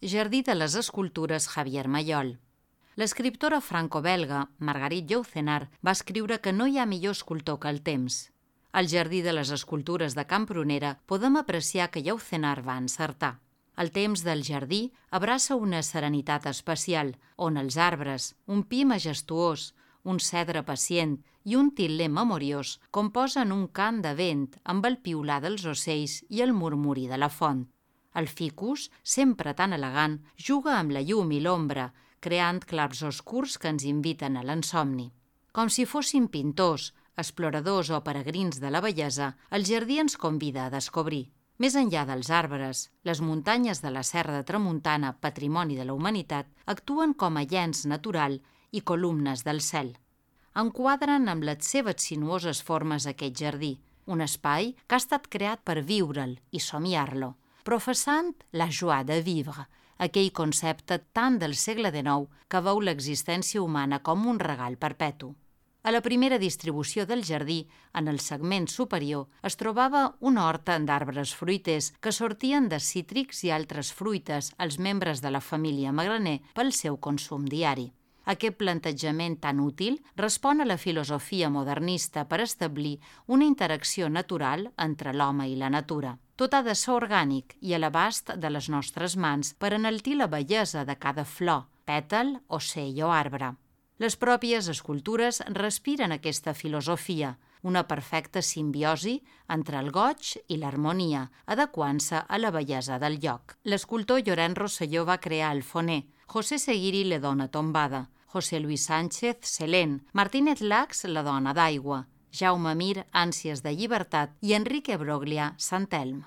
Jardí de les escultures Javier Mayol. L'escriptora franco-belga Marguerite Yourcenar va escriure que no hi ha millor escultor que el temps. Al Jardí de les escultures de Can Prunera podem apreciar que Yourcenar va encertar. El temps del jardí abraça una serenitat especial, on els arbres, un pi majestuós, un cedre pacient i un til·ler memoriós composen un cant de vent amb el piular dels ocells i el murmuri de la font. El ficus, sempre tan elegant, juga amb la llum i l'ombra, creant clars oscurs que ens inviten a l'ensomni. Com si fossin pintors, exploradors o peregrins de la bellesa, el jardí ens convida a descobrir. Més enllà dels arbres, les muntanyes de la Serra de Tramuntana, patrimoni de la humanitat, actuen com a llenç natural i columnes del cel. Enquadren amb les seves sinuoses formes aquest jardí, un espai que ha estat creat per viure'l i somiar-lo, professant la joie de vivre, aquell concepte tant del segle XIX que veu l'existència humana com un regal perpetu. A la primera distribució del jardí, en el segment superior, es trobava una horta d'arbres fruiters que sortien de cítrics i altres fruites als membres de la família Magraner pel seu consum diari. Aquest plantejament tan útil respon a la filosofia modernista per establir una interacció natural entre l'home i la natura. Tot ha de ser orgànic i a l'abast de les nostres mans per enaltir la bellesa de cada flor, pètal, ocell o arbre. Les pròpies escultures respiren aquesta filosofia, una perfecta simbiosi entre el goig i l'harmonia, adequant-se a la bellesa del lloc. L'escultor Llorenç Rosselló va crear el foner, José Seguiri la dona tombada, José Luis Sánchez Selén, Martínez Lax la dona d'aigua, Jaume Mir ànsies de llibertat i Enrique Broglia Sant Elm.